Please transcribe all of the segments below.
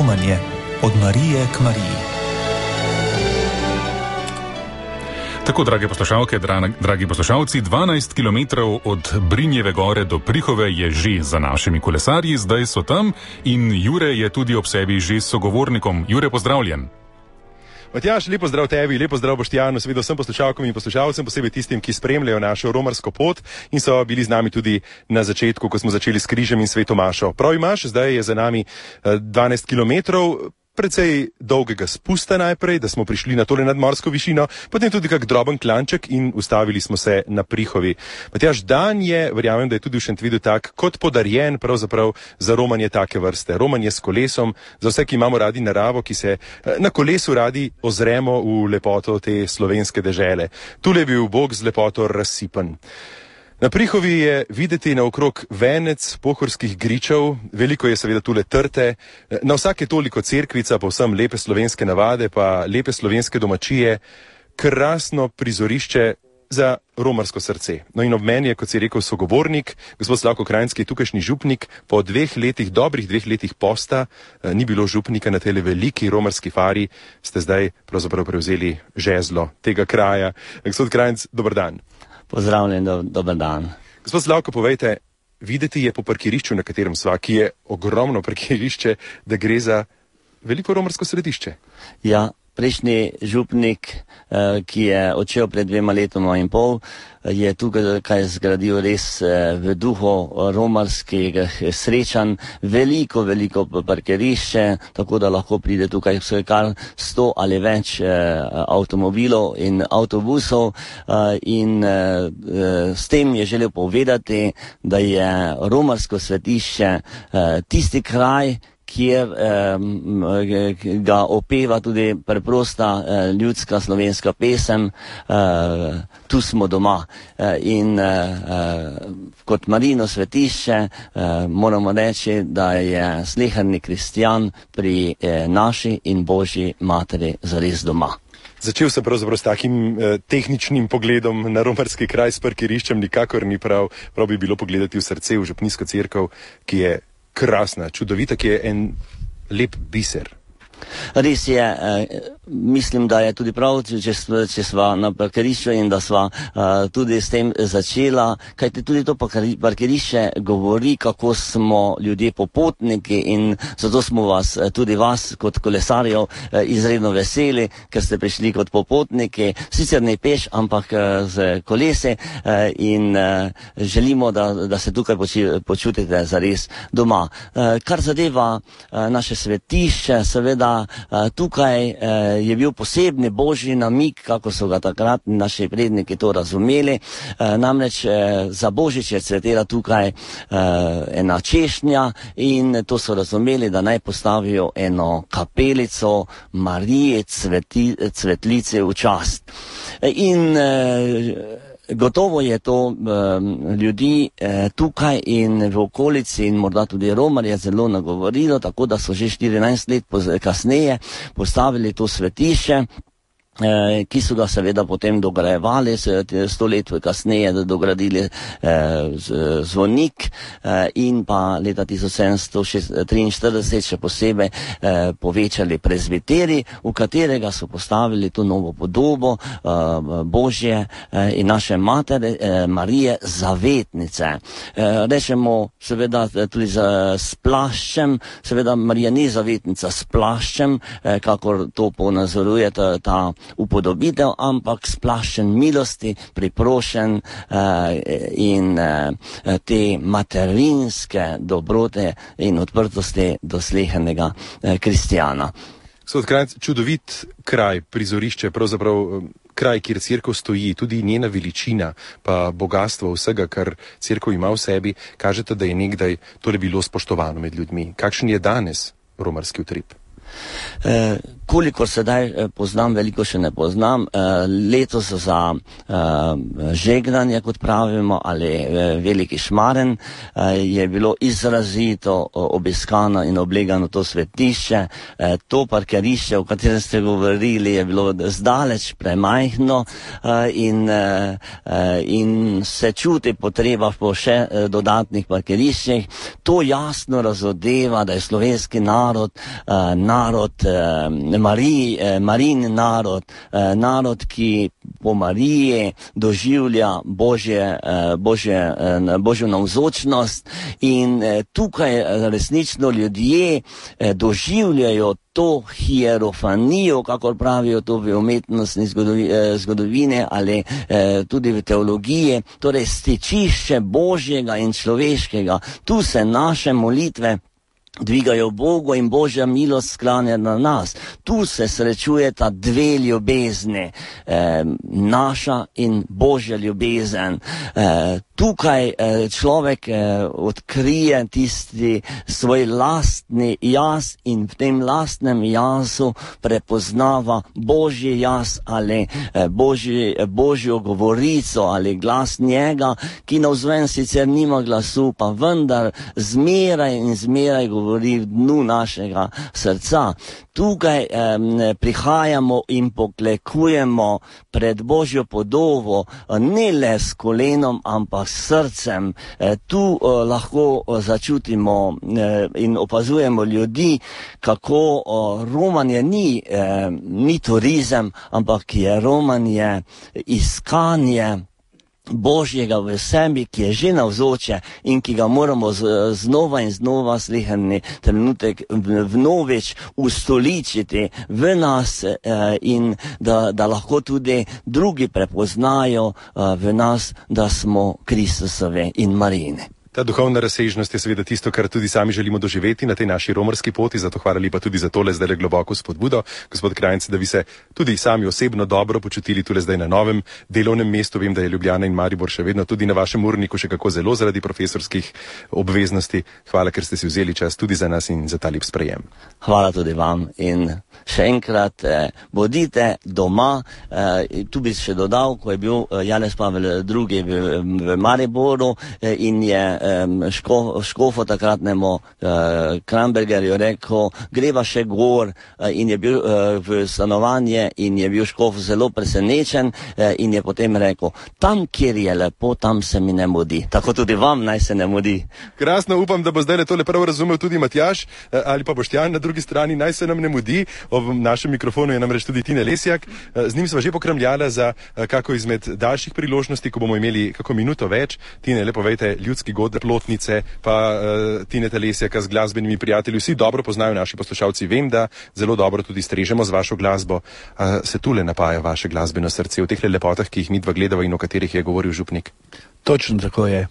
Romanje od Marije k Mariji. Tako, drage poslušalke, dragi poslušalci, 12 kilometrov od Brinjeve gore do Prihove je že za našimi kolesarji, zdaj so tam in Jure je tudi ob sebi že s sogovornikom. Jure, pozdravljen. Matjaž, lepo zdrav tebi, lepo zdrav Boštjanu, seveda vsem poslušalkom in poslušalcem, posebej tistim, ki spremljajo našo romarsko pot in so bili z nami tudi na začetku, ko smo začeli s križem in sveto mašo. Prav imaš, zdaj je za nami 12 kilometrov, precej dolgega spusta najprej, da smo prišli na tole nadmorsko višino, potem tudi kak droben klanček in ustavili smo se na Prihovi. Matjaž, dan je, verjamem, da je tudi v Šentvidu tak, kot podarjen pravzaprav za romanje take vrste. Romanje s kolesom, za vse, ki imamo radi naravo, ki se na kolesu radi ozremo v lepoto te slovenske dežele. Tule je bil Bog z lepoto razsipan. Na Prihovi je videti naokrog venec pohorskih gričev, veliko je seveda tule trte, na vsake toliko cerkvica, povsem lepe slovenske navade, pa lepe slovenske domačije, krasno prizorišče za romarsko srce. No in ob meni je, kot si rekel, sogovornik, gospod Slavko Krajnski, tukajšnji župnik, po dobrih dveh letih posta, ni bilo župnika na tele veliki romarski fari, ste zdaj pravzaprav prevzeli žezlo tega kraja. Gospod Krajnc, dober dan. Pozdravljen, dober dan. Gospod Slavko, povejte, videti je po parkirišču, na katerem sva, ki je ogromno parkirišče, da gre za veliko romarsko središče. Ja, prejšnji župnik, ki je odšel pred 2 letoma in pol, je tukaj zgradil res v duhu romarskih srečanj veliko parkirišče, tako da lahko pride tukaj kar 100 ali več avtomobilov in avtobusov in s tem je želel povedati, da je romarsko svetišče tisti kraj, kjer ga opeva tudi preprosta ljudska slovenska pesem, tu smo doma. In kot Marijino svetišče moramo reči, da je sleherni kristjan pri naši in Božji materi zares doma. Začel sem pravzaprav s takim tehničnim pogledom na romarski kraj s parkiriščem, nikakor ni prav bi bilo pogledati v srce, v župnijsko cerkev, ki je krasna, čudovita, ki je en lep biser. Res je, mislim, da je tudi prav, če sva na parkirišču in da sva tudi s tem začela, kajti tudi to parkirišče govori, kako smo ljudje popotniki in zato smo tudi vas kot kolesarjev izredno veseli, ker ste prišli kot popotniki, sicer ne peš, ampak z kolese in želimo, da se tukaj počutite zares doma. Kar zadeva naše svetišče, seveda tukaj je bil posebni božji namig, kako so ga takrat naši predniki to razumeli. Namreč za Božič je cvetela tukaj ena češnja in to so razumeli, da naj postavijo eno kapelico Marije Cvetlice v čast. In gotovo je to ljudi tukaj in v okolici in morda tudi romarje zelo nagovorilo, tako da so že 14 let kasneje postavili to svetišče, ki so ga seveda potem dograjevali, 100 let kasneje dogradili zvonik in pa leta 1743 še posebej povečali prezbiteri, v katerega so postavili to novo podobo Božje in naše matere Marije Zavetnice. Rečemo seveda tudi s plaščem, seveda Marija ni zavetnica s plaščem, kakor to ponazoruje ta upodobitev, ampak s plaščem milosti, priprošen in te materinske dobrote in odprtosti do slehernega kristjana. Gospod Krajnc, čudovit kraj, prizorišče, pravzaprav kraj, kjer cerkev stoji, tudi njena veličina, pa bogastvo vsega, kar cerkev ima v sebi, kažete, da je nekdaj tole bilo spoštovano med ljudmi. Kakšen je danes romarski utrip? Kolikor sedaj poznam, veliko še ne poznam. Letos za žegnanje, kot pravimo, ali veliki šmaren, je bilo izrazito obiskano in oblegano to svetišče. To parkirišče, o katerem ste govorili, je bilo zdaleč premajhno in se čuti potreba po še dodatnih parkiriščih. To jasno razodeva, da je slovenski narod Marijin narod, narod, ki po Mariji doživlja Božjo navzočnost in tukaj resnično ljudje doživljajo to hierofanijo, kakor pravijo to v umetnostni zgodovini ali tudi v teologiji, torej stičišče Božjega in človeškega. Tu se naše molitve dvigajo Bogu in Božja milost sklanja na nas. Tu se srečujeta dve ljubezni, naša in Božja ljubezen. Tukaj človek odkrije tisti svoj lastni jaz in v tem lastnem jazu prepoznava Božji jaz ali Božjo govorico ali glas njega, ki navzven sicer nima glasu, pa vendar zmeraj in zmeraj govori v dnu našega srca. Tukaj prihajamo in poklekujemo pred Božjo podobo, ne le s kolenom, ampak s srcem. Tu lahko začutimo in opazujemo ljudi, kako romanje ni turizem, ampak je romanje iskanje Božjega v sebi, ki je že navzoče in ki ga moramo znova in znova sleherni trenutek vnovič ustoličiti v nas in da lahko tudi drugi prepoznajo v nas, da smo Kristusovi in Marijine. Ta duhovna razsežnost je seveda tisto, kar tudi sami želimo doživeti na tej naši romarski poti, zato hvala lepa tudi za tole zdaj globoko spodbudo, gospod Krajnc, da bi se tudi sami osebno dobro počutili tule zdaj na novem delovnem mestu. Vem, da je Ljubljana in Maribor še vedno tudi na vašem urniku še kako zelo zaradi profesorskih obveznosti. Hvala, ker ste si vzeli čas tudi za nas in za ta lep sprejem. Hvala tudi vam in še enkrat bodite doma. Tu bi še dodal, ko je bil Janez Pavel II v Mariboru in je škofu takratnemu Krambergerju rekel, greva še gor, in je bil v stanovanje in je bil škof zelo presenečen in je potem rekel, tam, kjer je lepo, tam se mi ne mudi. Tako tudi vam naj se ne mudi. Krasno, upam, da bo zdaj tole prav razumel tudi Matjaž ali pa Boštjan na drugi strani, naj se nam ne mudi. Ob našem mikrofonu je namreč tudi Tine Lesjak. Z njim sva že pokramljala za kako izmed daljših priložnosti, ko bomo imeli kako minuto več. Tine, le povejte, ljudski god Plotnice, pa Tineta Lesjaka z glasbenimi prijatelji, vsi dobro poznajo naši poslušalci. Vem, da zelo dobro tudi strežemo z vašo glasbo. Se tule napaja vaše glasbeno srce v teh lepotah, ki jih midva gledava in o katerih je govoril župnik? Točno tako je.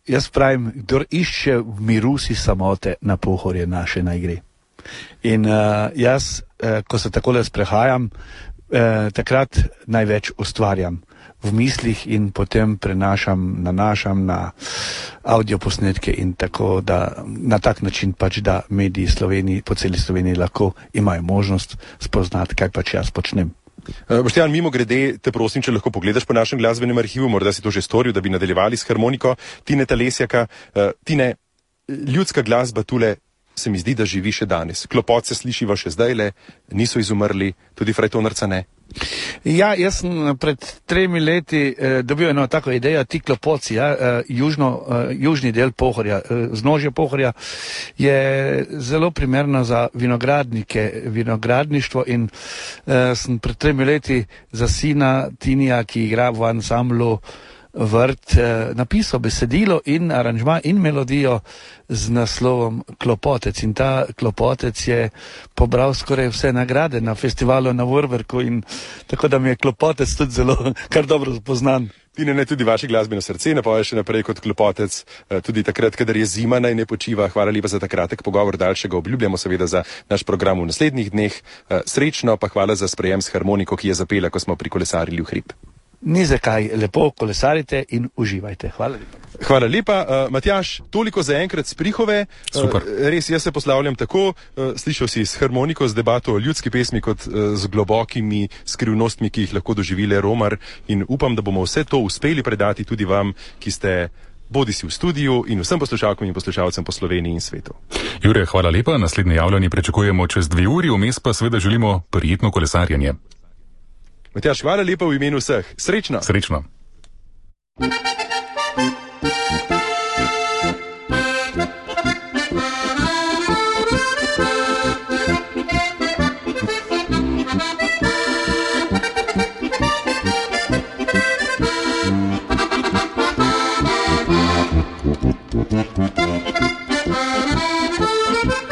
Jaz pravim, kdor išče v miru si samote, na Pohorje naše naj gre. In jaz, ko se takole sprehajam, takrat največ ustvarjam v mislih in potem nanašam na audioposnetke in tako, da na tak način pač, da mediji po celi Sloveniji lahko imajo možnost spoznati, kaj pač jaz počnem. Boštjan, mimo grede, te prosim, če lahko pogledaš po našem glasbenem arhivu, morda si to že storil, da bi nadaljevali s harmoniko Tineta Lesjaka. Tine, ljudska glasba tule se mi zdi, da živi še danes. Klopot se slišiva še zdajle, niso izumrli, tudi frajtonarca ne. Ja, jaz sem pred 3 leti dobil eno tako idejo, ti klopoci, južni del Pohorja, vznožje Pohorja je zelo primerno za vinogradništvo in sem pred 3 leti za sina Tinija, ki igra v ansamblu Vrt, napisal besedilo in aranžma in melodijo z naslovom Klopotec. In ta Klopotec je pobral skoraj vse nagrade na festivalu na Vorwerku in tako da mi je Klopotec tudi zelo kar dobro poznan. Tine, ne tudi vaše glasbeno srce napoje še naprej kot Klopotec, tudi takrat, kadar je zima, naj ne počiva. Hvala lepa za ta kratek pogovor, daljšega obljubljamo seveda za naš program v naslednjih dneh. Srečno, pa hvala za sprejem s harmoniko, ki je zapela, ko smo prikolesarili v hrib. Ni zakaj, lepo kolesarite in uživajte. Hvala lepa. Hvala lepa. Matjaž, toliko za enkrat s Prihove. Super. Res, jaz se poslavljam tako, slišal si s harmoniko, z debato o ljudski pesmi, kot z globokimi skrivnostmi, ki jih lahko doživile Romar, in upam, da bomo vse to uspeli predati tudi vam, ki ste bodisi v studiu, in vsem poslušalkam in poslušalcem po Sloveniji in svetu. Jure, hvala lepa. Naslednje javljanje pričakujemo čez 2 uri, vmes pa seveda želimo prijetno kolesarjenje. Matjaž, hvala lepa v imenu vseh. Srečno! Srečno! Thank you.